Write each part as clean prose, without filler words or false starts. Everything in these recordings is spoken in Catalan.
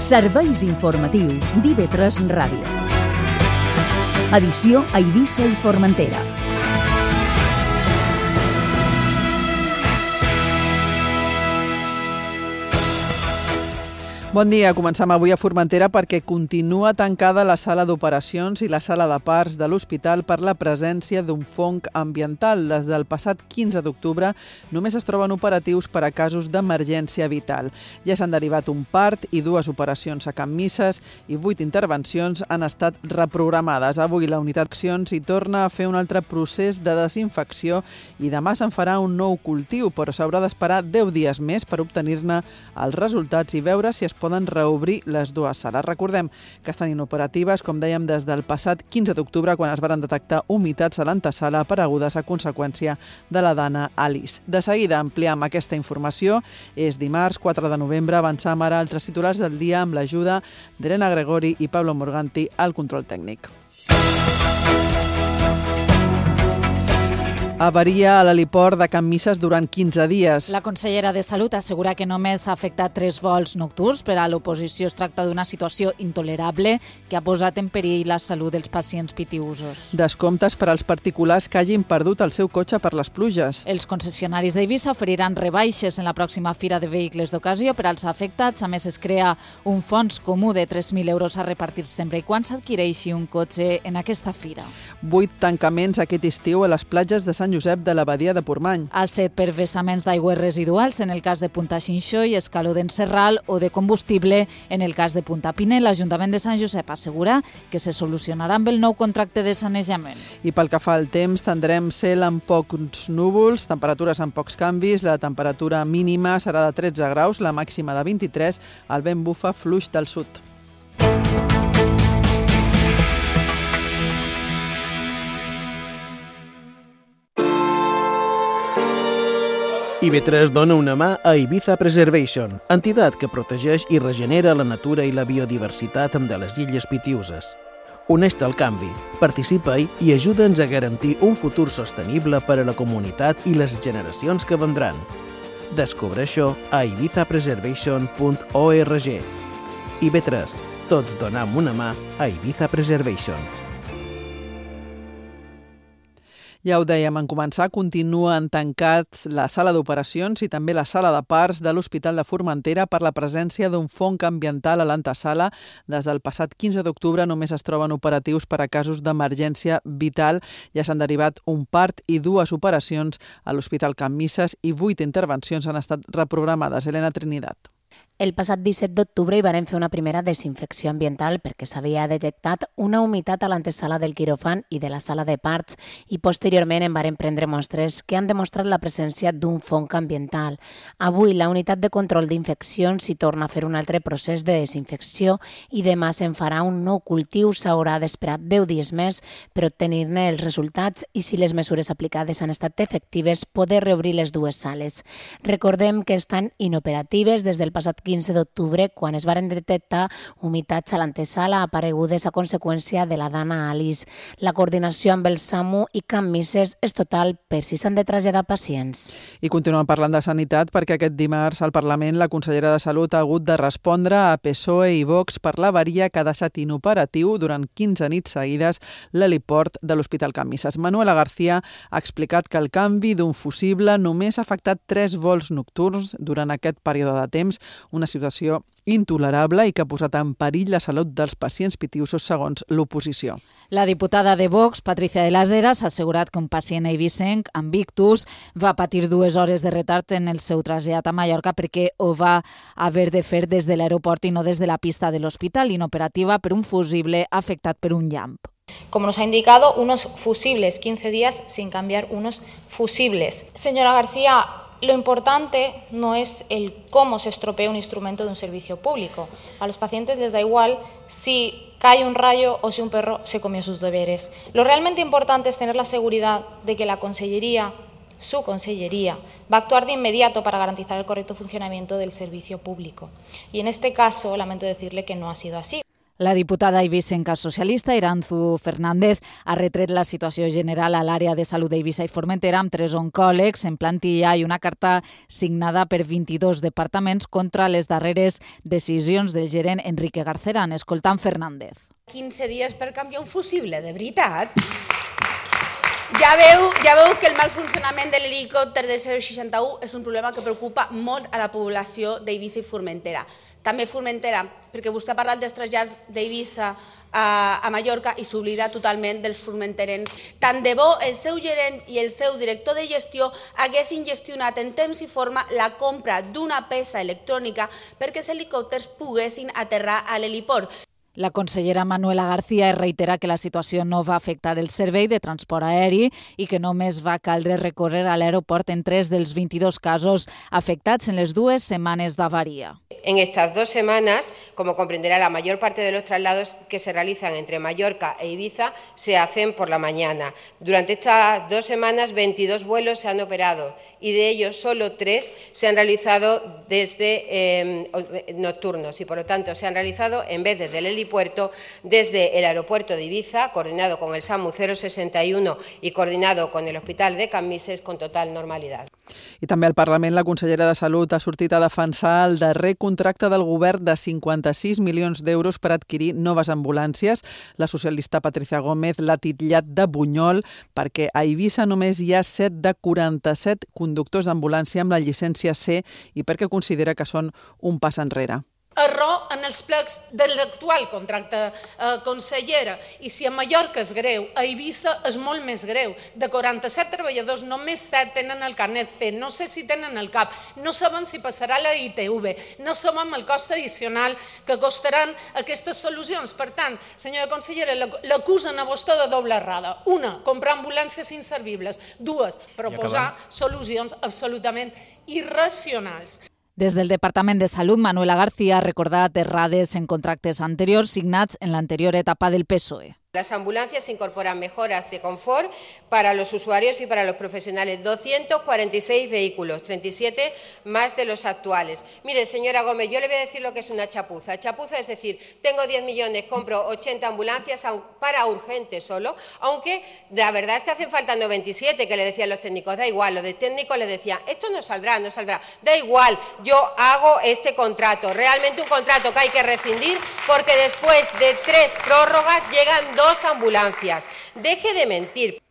Serveis informatius d'IV3 Ràdio. Edició a Eivissa i Formentera. Bon dia, comencem avui a Formentera perquè continua tancada la sala d'operacions i la sala de parts de l'hospital per la presència d'un fong ambiental. Des del passat 15 d'octubre només es troben operatius per a casos d'emergència vital. Ja s'han derivat un part i 2 operacions a Can Misses i 8 intervencions han estat reprogramades. Avui la unitat d'accions hi torna a fer un altre procés de desinfecció i demà se'n farà un nou cultiu, però s'haurà d'esperar 10 dies més per obtenir-ne els resultats i veure si es poden reobrir les 2 sales. Recordem que estan inoperatives, com dèiem, des del passat 15 d'octubre, quan es van detectar humitats a l'antesala aparegudes a conseqüència de la dana Alice. De seguida ampliem aquesta informació. És dimarts, 4 de novembre. Avancem ara altres titulars del dia amb l'ajuda d'Elena Gregori i Pablo Morganti al control tècnic. Avaria a l'heliport de Can Misses durant 15 dies. La consellera de Salut assegura que només ha afectat 3 vols nocturns. Per a l'oposició es tracta d'una situació intolerable que ha posat en perill la salut dels pacients pitiusos. Descomptes per als particulars que hagin perdut el seu cotxe per les pluges. Els concessionaris d'Eivissa oferiran rebaixes en la pròxima fira de vehicles d'ocasió per als afectats. A més, es crea un fons comú de 3.000 euros a repartir sempre i quan s'adquireixi un cotxe en aquesta fira. 8 tancaments aquest estiu a les platges de Sant Josep de la Badia de Portmany. A 7 per vessaments d'aigües residuals en el cas de Punta Xinxó i Escaló d'en Serral o de combustible en el cas de Punta Pinell. L'Ajuntament de Sant Josep assegura que se solucionarà amb el nou contracte de sanejament. I pel que fa al temps, tindrem cel amb pocs núvols, temperatures amb pocs canvis, la temperatura mínima serà de 13 graus, la màxima de 23, el vent bufa fluix del sud. IV3 dona una mà a Ibiza Preservation, entitat que protegeix i regenera la natura i la biodiversitat de les illes Pitiüses. Uneix-te al canvi, participa-hi i ajuda'ns a garantir un futur sostenible per a la comunitat i les generacions que vendran. Descobreix-ho a ibizapreservation.org. IB3, tots donem una mà a Ibiza Preservation. Ja ho dèiem en començar, continuen tancats la sala d'operacions i també la sala de parts de l'Hospital de Formentera per la presència d'un fong ambiental a l'antesala. Des del passat 15 d'octubre només es troben operatius per a casos d'emergència vital. Ja s'han derivat un part i 2 operacions a l'Hospital Can Misses i 8 intervencions han estat reprogramades. Elena Trinidad. El passat 17 d'octubre hi varen fer una primera desinfecció ambiental perquè s'havia detectat una humitat a l'antesala del quiròfan i de la sala de parts i posteriorment en varen prendre mostres que han demostrat la presència d'un fong ambiental. Avui la unitat de control d'infeccions s'hi torna a fer un altre procés de desinfecció i demà se'n farà un nou cultiu. S'haurà d'esperar 10 dies més per obtenir-ne els resultats i si les mesures aplicades han estat efectives poder reobrir les 2 sales. Recordem que estan inoperatives des del passat 15 d'octubre, quan es varen detectar humitats a l'antesala aparegudes a conseqüència de la dana Alice. La coordinació amb el SAMU i Can Misses és total per si s'han de traslladar pacients. I continuem parlant de sanitat perquè aquest dimarts al Parlament la consellera de Salut ha hagut de respondre a PSOE i Vox per l'avaria que ha deixat inoperatiu durant 15 nits seguides l'heliport de l'Hospital Can Misses. Manuela García ha explicat que el canvi d'un fusible només ha afectat 3 vols nocturns durant aquest període de temps, una situació intolerable i que ha posat en perill la salut dels pacients pitiusos segons l'oposició. La diputada de Vox, Patricia de las Heras, ha assegurat que un pacient eivissenc amb ictus va patir 2 hores de retard en el seu trasllat a Mallorca perquè ho va haver de fer des de l'aeroport i no des de la pista de l'hospital, inoperativa per un fusible afectat per un llamp. Como nos ha indicado, unos fusibles, 15 días sin cambiar unos fusibles. Señora García, lo importante no es el cómo se estropea un instrumento de un servicio público. A los pacientes les da igual si cae un rayo o si un perro se comió sus deberes. Lo realmente importante es tener la seguridad de que la Consellería, su Consellería, va a actuar de inmediato para garantizar el correcto funcionamiento del servicio público. Y en este caso, lamento decirle que no ha sido así. La diputada eivissenca socialista Iranzu Fernández ha retret la situació general a l'àrea de salut d'Eivissa i Formentera amb 3 oncòlegs en plantilla i una carta signada per 22 departaments contra les darreres decisions del gerent Enrique Garceran. Escoltant Fernández. 15 dies per canviar un fusible, de veritat? Ja veu que el mal funcionament de l'helicòpter de 061 és un problema que preocupa molt a la població d'Eivissa i Formentera. També Formentera, perquè vostè ha parlat dels trasllats d'Eivissa a Mallorca i s'oblida totalment dels formenterens. Tant de bo el seu gerent i el seu director de gestió haguessin gestionat en temps i forma la compra d'una peça electrònica perquè els helicòpters poguessin aterrar a l'heliport. La consellera Manuela García reitera que la situació no va afectar el servei de transport aeri i que només va caldre recórrer a l'aeroport en 3 dels 22 casos afectats en les 2 setmanes d'avaria. En estas 2 semanas, como comprenderá, la mayor parte de los traslados que se realizan entre Mallorca e Ibiza se hacen por la mañana. Durante estas 2 semanas, 22 vuelos se han operado y de ellos solo 3 se han realizado desde nocturnos y, por lo tanto, se han realizado en vez desde el helipuerto, desde el aeropuerto de Ibiza, coordinado con el SAMU 061 y coordinado con el Hospital de Can Misses con total normalidad. I també al Parlament la consellera de Salut ha sortit a defensar el darrer contracte del govern de 56 milions d'euros per adquirir noves ambulàncies. La socialista Patricia Gómez l'ha titllat de bunyol perquè a Eivissa només hi ha 7 de 47 conductors d'ambulància amb la llicència C i perquè considera que són un pas enrere. Error en els plecs de l'actual contracte, consellera. I si a Mallorca és greu, a Eivissa és molt més greu. De 47 treballadors, només 7 tenen el carnet C. No sé si tenen el CAP. No saben si passarà la ITV. No sabem el cost addicional que costaran aquestes solucions. Per tant, senyora consellera, l'acusen a vostè de doble errada. Una, comprar ambulàncies inservibles. 2, proposar solucions absolutament irracionals. Des del Departament de Salut, Manuela García ha recordat errades en contractes anteriors signats en l'anterior etapa del PSOE. Las ambulancias incorporan mejoras de confort para los usuarios y para los profesionales. 246 vehículos, 37 más de los actuales. Mire, señora Gómez, yo le voy a decir lo que es una chapuza. Chapuza es decir, tengo 10 millones, compro 80 ambulancias para urgentes solo, aunque la verdad es que hacen falta 97, que le decían los técnicos. Da igual, los de técnicos les decían, esto no saldrá. Da igual, yo hago este contrato. Realmente un contrato que hay que rescindir porque después de 3 prórrogas llegan 2 ambulancias. Deje de mentir.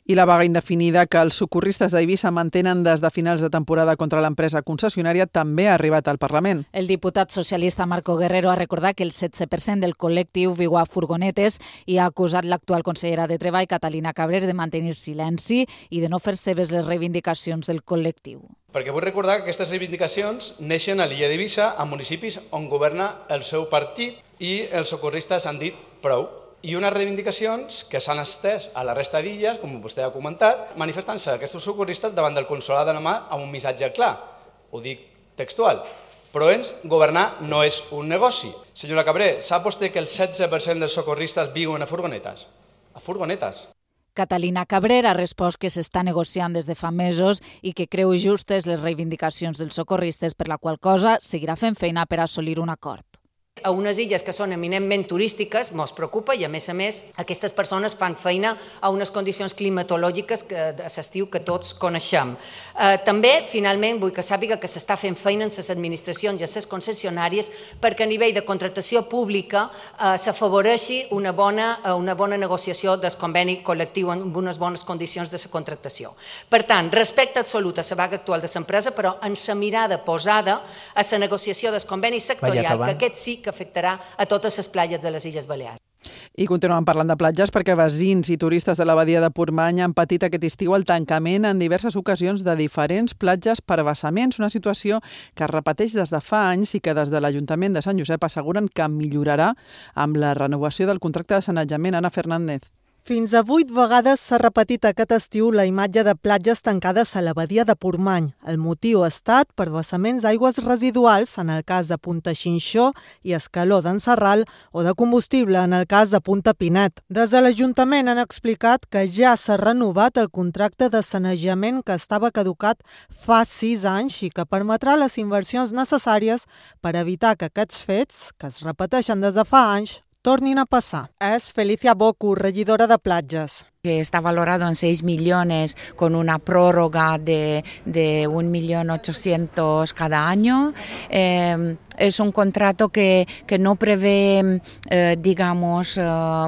I la vaga indefinida que els socorristes d'Eivissa mantenen des de finals de temporada contra l'empresa concessionària també ha arribat al Parlament. El diputat socialista Marco Guerrero ha recordat que el 16% del col·lectiu viu a furgonetes i ha acusat l'actual consellera de Treball, Catalina Cabrer, de mantenir silenci i de no fer seves les reivindicacions del col·lectiu. Perquè vull recordar que aquestes reivindicacions neixen a l'illa d'Eivissa, a municipis on governa el seu partit, i els socorristes han dit prou. I unes reivindicacions que s'han estès a la resta d'illes, com vostè ha comentat, manifestant-se aquests socorristes davant del consolat de la Mar amb un missatge clar. Ho dic textual. Però governar no és un negoci. Senyora Cabré, sap vostè que el 16% dels socorristes viuen a furgonetes? A furgonetes. Catalina Cabrer ha respost que s'està negociant des de fa mesos i que creu justes les reivindicacions dels socorristes, per la qual cosa seguirà fent feina per assolir un acord. A unes illes que són eminentment turístiques mos preocupa i, a més, aquestes persones fan feina a unes condicions climatològiques a l'estiu que tots coneixem. També, finalment, vull que sàpiga que s'està fent feina en les administracions i en les concessionàries perquè a nivell de contractació pública s'afavoreixi una bona negociació del conveni col·lectiu amb unes bones condicions de la contractació. Per tant, respecte absolut a la vaga actual de l'empresa, però amb la mirada posada a la negociació del conveni sectorial, que aquest sí que afectarà a totes les platges de les Illes Balears. I continuem parlant de platges perquè veïns i turistes de la badia de Portmany han patit aquest estiu el tancament en diverses ocasions de diferents platges per vessaments, una situació que es repeteix des de fa anys i que des de l'Ajuntament de Sant Josep asseguren que millorarà amb la renovació del contracte de sanejament. Ana Fernández. Fins a 8 vegades s'ha repetit aquest estiu la imatge de platges tancades a la badia de Portmany. El motiu ha estat per vessaments d'aigües residuals, en el cas de Punta Xinxó i Escaló d'en Sarral, o de combustible, en el cas de Punta Pinet. Des de l'Ajuntament han explicat que ja s'ha renovat el contracte de sanejament que estava caducat fa 6 anys i que permetrà les inversions necessàries per evitar que aquests fets, que es repeteixen des de fa anys, tornin a passar. És Felicia Bocu, regidora de Platges. Que está valorado en 6 millones con una prórroga de 1.800.000 cada año. Es un contrato que no prevé,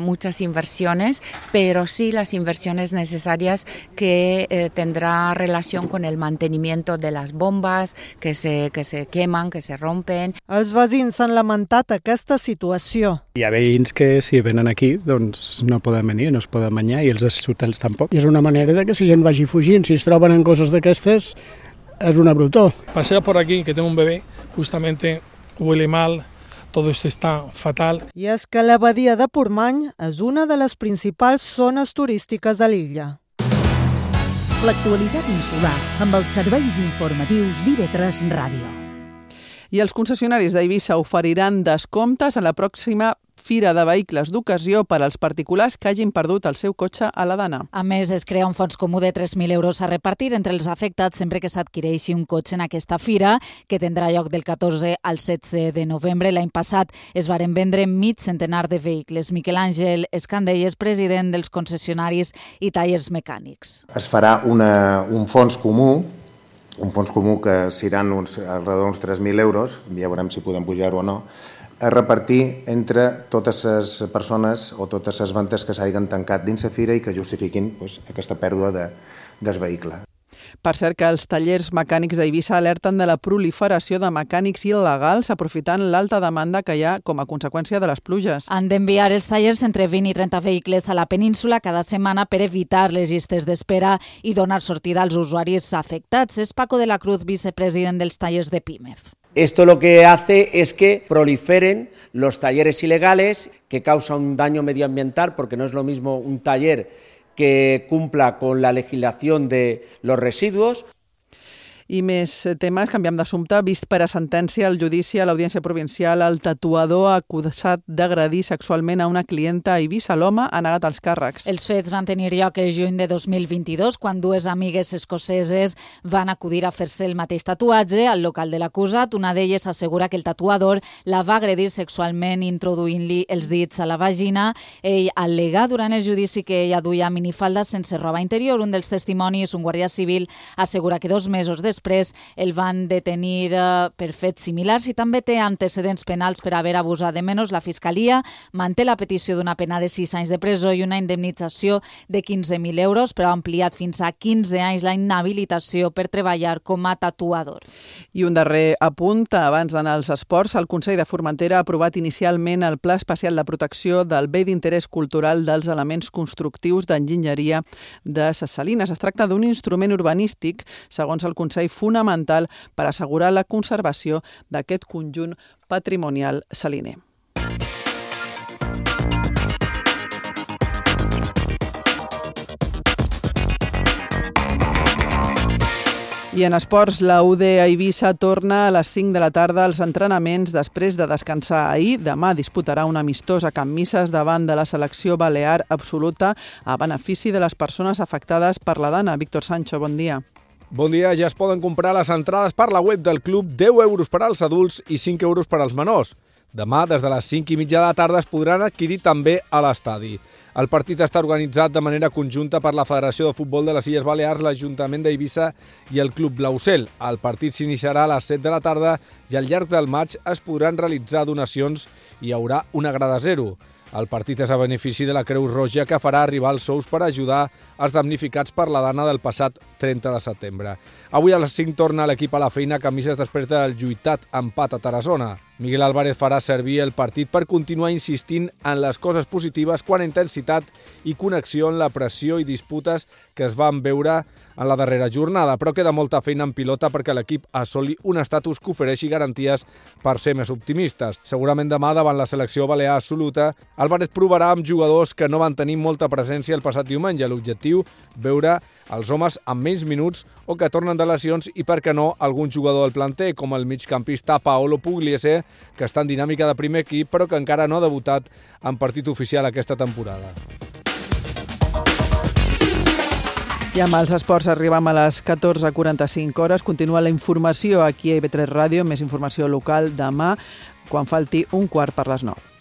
muchas inversiones, pero sí las inversiones necesarias que tendrá relación con el mantenimiento de las bombas que se queman, que se rompen. Els veïns s'han lamentat aquesta situació. Hi ha veïns que si venen aquí doncs no poden venir, no es poden banyar i els hotels tampoc. I és una manera de que la gent vagi fugint. Si es troben en coses d'aquestes, és una brutó. Pasea por aquí, que tengo un bebé, justamente huele mal, todo esto está fatal. I és que la badia de Portmany és una de les principals zones turístiques de l'illa. L'actualitat insular amb els serveis informatius d'IV3 Ràdio. I els concessionaris d'Eivissa oferiran descomptes a la pròxima Fira de Vehicles d'Ocasió per als particulars que hagin perdut el seu cotxe a la Dana. A més, es crea un fons comú de 3.000 euros a repartir entre els afectats sempre que s'adquireixi un cotxe en aquesta fira, que tindrà lloc del 14 al 16 de novembre. L'any passat es varen vendre mig centenar de vehicles. Miquel Àngel Escandell és president dels concessionaris i tallers mecànics. Es farà un fons comú que seran alrededor d'uns 3.000 euros, ja veurem si podem pujar-ho o no, a repartir entre totes les persones o totes les ventes que s'hagin tancat dins la fira i que justifiquin aquesta pèrdua del vehicle. Per cert que els tallers mecànics d'Eivissa alerten de la proliferació de mecànics il·legals aprofitant l'alta demanda que hi ha com a conseqüència de les pluges. Han d'enviar els tallers entre 20 i 30 vehicles a la península cada setmana per evitar les llistes d'espera i donar sortida als usuaris afectats. És Paco de la Cruz, vicepresident dels tallers de PIMEF. Esto lo que hace es que proliferen los talleres ilegales, que causa un daño medioambiental, porque no es lo mismo un taller que cumpla con la legislación de los residuos. I més temes, canviem d'assumpte. Vist per a sentència al judici a l'Audiència Provincial, el tatuador acusat d'agredir sexualment a una clienta a Eivissa. L'home ha negat els càrrecs. Els fets van tenir lloc el juny de 2022, quan dues amigues escoceses van acudir a fer-se el mateix tatuatge al local de l'acusat. Una d'elles assegura que el tatuador la va agredir sexualment introduint-li els dits a la vagina. Ell al·lega durant el judici que ella duia minifalda sense roba interior. Un dels testimonis, un guàrdia civil, assegura que 2 mesos després el van detenir per fets similars i també té antecedents penals per haver abusat de menors. La Fiscalia manté la petició d'una pena de 6 anys de presó i una indemnització de 15.000 euros, però ha ampliat fins a 15 anys la inhabilitació per treballar com a tatuador. I un darrer apunt, abans d'anar als esports, el Consell de Formentera ha aprovat inicialment el Pla Especial de Protecció del Bé d'Interès Cultural dels Elements Constructius d'Enginyeria de Ses Salines. Es tracta d'un instrument urbanístic, segons el Consell, fonamental per assegurar la conservació d'aquest conjunt patrimonial saliner. I en esports, la UD Eivissa torna a les 5 de la tarda als entrenaments després de descansar ahir. Demà disputarà un amistós a Can Misses davant de la selecció balear absoluta a benefici de les persones afectades per la Dana. Víctor Sancho, bon dia. Bon dia, ja es poden comprar les entrades per la web del club, 10 euros per als adults i 5 euros per als menors. Demà, des de les 5:30 de la tarda, es podran adquirir també a l'estadi. El partit està organitzat de manera conjunta per la Federació de Futbol de les Illes Balears, l'Ajuntament d'Eivissa i el Club Blaucel. El partit s'iniciarà a les 7 de la tarda i al llarg del maig es podran realitzar donacions i hi haurà una grada zero. El partit és a benefici de la Creu Roja, que farà arribar els sous per ajudar els damnificats per la Dana del passat 30 de setembre. Avui a les 5 torna l'equip a la feina a Can Misses després del lluitat empat a Tarassona. Miguel Álvarez farà servir el partit per continuar insistint en les coses positives quant a intensitat i connexió en la pressió i disputes que es van veure en la darrera jornada, però queda molta feina en pilota perquè l'equip assoli un estatus que ofereixi garanties per ser més optimistes. Segurament demà, davant la selecció balear absoluta, Álvarez provarà amb jugadors que no van tenir molta presència el passat diumenge. L'objectiu, veure els homes amb menys minuts o que tornen de lesions i, per què no, algun jugador del planter, com el migcampista Paolo Pugliese, que està en dinàmica de primer equip, però que encara no ha debutat en partit oficial aquesta temporada. I amb els esports arribem a les 14:45 hores. Continua la informació aquí a IB3 Ràdio, més informació local demà, quan falti 1:15 per les 9.